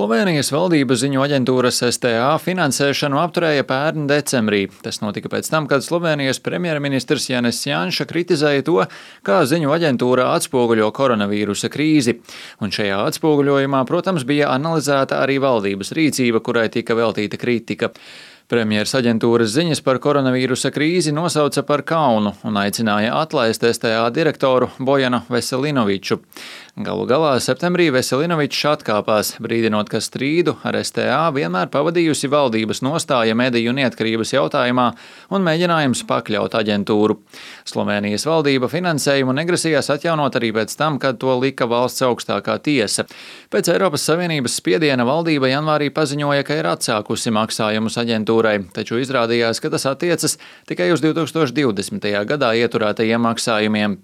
Slovēnijas valdība ziņu aģentūras STA finansēšanu apturēja pērn decembrī. Tas notika pēc tam, kad Slovēnijas premjerministrs Jānis Janša kritizēja to, kā ziņu aģentūra atspoguļo koronavīrusa krīzi. Un šajā atspoguļojumā, protams, bija analizēta arī valdības rīcība, kurai tika veltīta kritika. Premjeras aģentūras ziņas par koronavīrusa krīzi nosauca par kaunu un aicināja atlaist STA direktoru Bojanu Veselinoviču. Galu galā septembrī Veselinovičs atkāpās, brīdinot, ka strīdu ar STA vienmēr pavadījusi valdības nostāja mediju neatkarības jautājumā un mēģinājums pakļaut aģentūru. Slovēnijas valdība finansējumu negrasījās atjaunot arī pēc tam, kad to lika valsts augstākā tiesa. Pēc Eiropas Savienības spiediena valdība janvārī paziņoja, ka ir atsākusi maksājumus aģentūrai, taču izrādījās, ka tas attiecas tikai uz 2020. gadā ieturētajiem maksājumiem.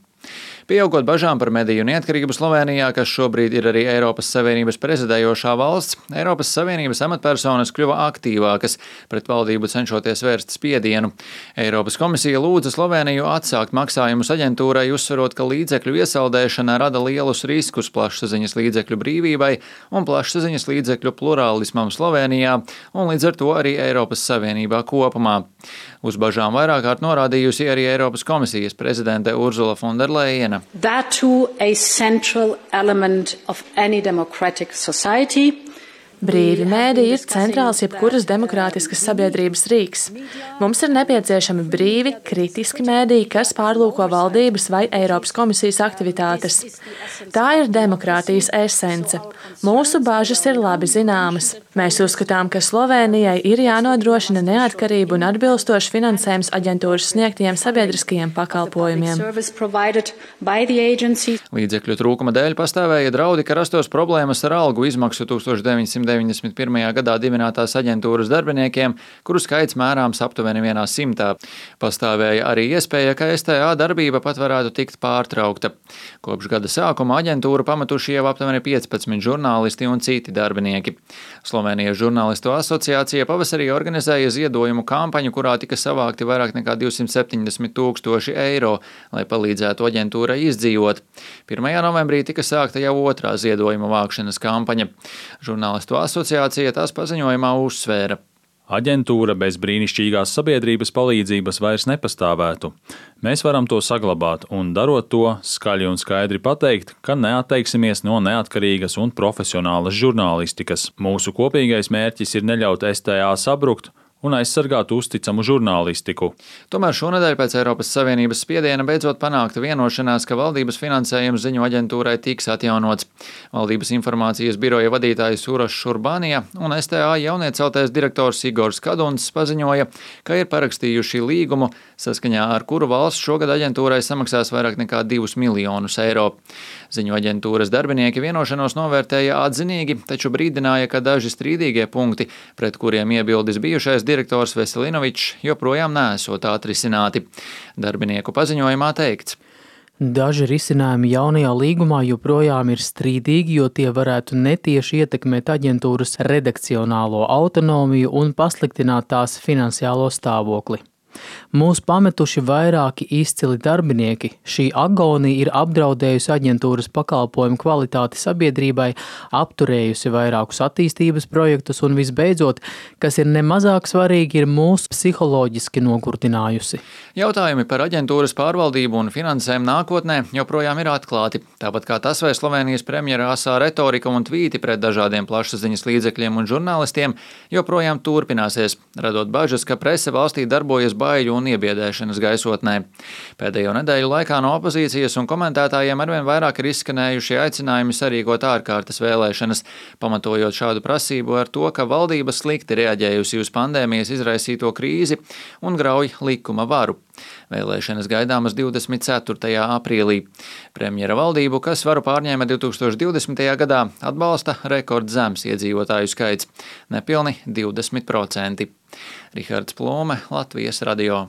Pieaugot bažām par mediju neatkarību Slovēnijā, kas šobrīd ir arī Eiropas Savienības prezidējošā valsts, Eiropas Savienības amatpersonas kļuva aktīvākas, pret valdību cenšoties vērst spiedienu. Eiropas komisija lūdza Slovēniju atsākt maksājumus aģentūrai, uzsverot, ka līdzekļu iesaldēšana rada lielus riskus plašsaziņas līdzekļu brīvībai un plašsaziņas līdzekļu plurālismam Slovēnijā un līdz ar to arī Eiropas Savienībā kopumā. Uz bažām vairāk kārt norādījusi arī Eiropas komisijas prezidente Ursula von der Leyena. That too a central element of any democratic society. Brīvi mēdīji ir centrāls jebkuras demokrātiskas sabiedrības rīks. Mums ir nepieciešami brīvi, kritiski mēdīji, kas pārlūko valdības vai Eiropas komisijas aktivitātes. Tā ir demokrātijas esence. Mūsu bāžas ir labi zināmas. Mēs uzskatām, ka Slovēnijai ir jānodrošina neatkarība un atbilstošs finansējums aģentūras sniegtajiem sabiedriskajiem pakalpojumiem. Līdzekļu trūkuma dēļ pastāvēja draudi, ka rastos problēmas ar algu izmaksu 1991. gadā dibinātās aģentūras darbiniekiem, kuru skaits mērāms aptuveni 100. Pastāvēja arī iespēja, ka STA darbība pat varētu tikt pārtraukta. Kopš gada sākuma aģentūru pametuši jau aptuveni 15 žurnālisti un citi darbinieki. Slovēnijas žurnālistu asociācija pavasarī organizēja ziedojumu kampaņu, kurā tika savākti vairāk nekā 270 000 eiro, lai palīdzētu aģentūrai izdzīvot. 1. novembrī tika sākta jau otrā ziedojuma vākšanas kampaņa. Žurnālistu asociācija tās paziņojumā uzsvēra. Aģentūra bez brīnišķīgās sabiedrības palīdzības vairs nepastāvētu. Mēs varam to saglabāt un, darot to, skaļi un skaidri pateikt, ka neatteiksimies no neatkarīgas un profesionālas žurnālistikas. Mūsu kopīgais mērķis ir neļaut STA sabrukt un aizsargāt uzticamu žurnālistiku. Tomēr šonedēļ pēc Eiropas Savienības spiediena beidzot panākta vienošanās, ka valdības finansējums ziņu aģentūrai tiks atjaunots. Valdības informācijas biroja vadītājs Urošs Urbānija un STA jaunieceltais direktors Igors Kaduns paziņoja, ka ir parakstījuši līgumu, saskaņā ar kuru valsts šogad aģentūrai samaksās vairāk nekā 2 miljonus eiro. Ziņu aģentūras darbinieki vienošanos novērtēja atzinīgi, taču brīdināja, ka daži strīdīgie punkti, pret kuriem iebildes bijušais direktors Veselinovičs, joprojām neesot atrisināti. Darbinieku paziņojumā teikts. Daži risinājumi jaunajā līgumā joprojām ir strīdīgi, jo tie varētu netieši ietekmēt aģentūras redakcionālo autonomiju un pasliktināt tās finansiālo stāvokli. Mūs pametuši vairāki izcili darbinieki. Šī agonija ir apdraudējusi aģentūras pakalpojumu kvalitāti sabiedrībai, apturējusi vairākus attīstības projektus un visbeidzot, kas ir nemazāk svarīgi, ir mūs psiholoģiski nogurdinājusi. Jautājumi par aģentūras pārvaldību un finansēm nākotnē joprojām ir atklāti. Tāpat kā tas, vai Slovēnijas premjera asā retorika un tvīti pret dažādiem plašsaziņas līdzekļiem un žurnālistiem joprojām turpināsies, radot bažas, ka prese valstī darbojas baiļu un iebiedēšanas gaisotnē. Pēdējo nedēļu laikā no opozīcijas un komentētājiem arvien vairāk ir izskanējuši aicinājumi sarīkot ārkārtas vēlēšanas, pamatojot šādu prasību ar to, ka valdība slikti reaģējusi uz pandēmijas izraisīto krīzi un grauj likuma varu. Vēlēšanas gaidāmas 24. aprīlī. Premjera valdību, kas varu pārņēma 2020. gadā, atbalsta rekordzems iedzīvotāju skaits – nepilni 20%. Rihards Plūme, Latvijas radio.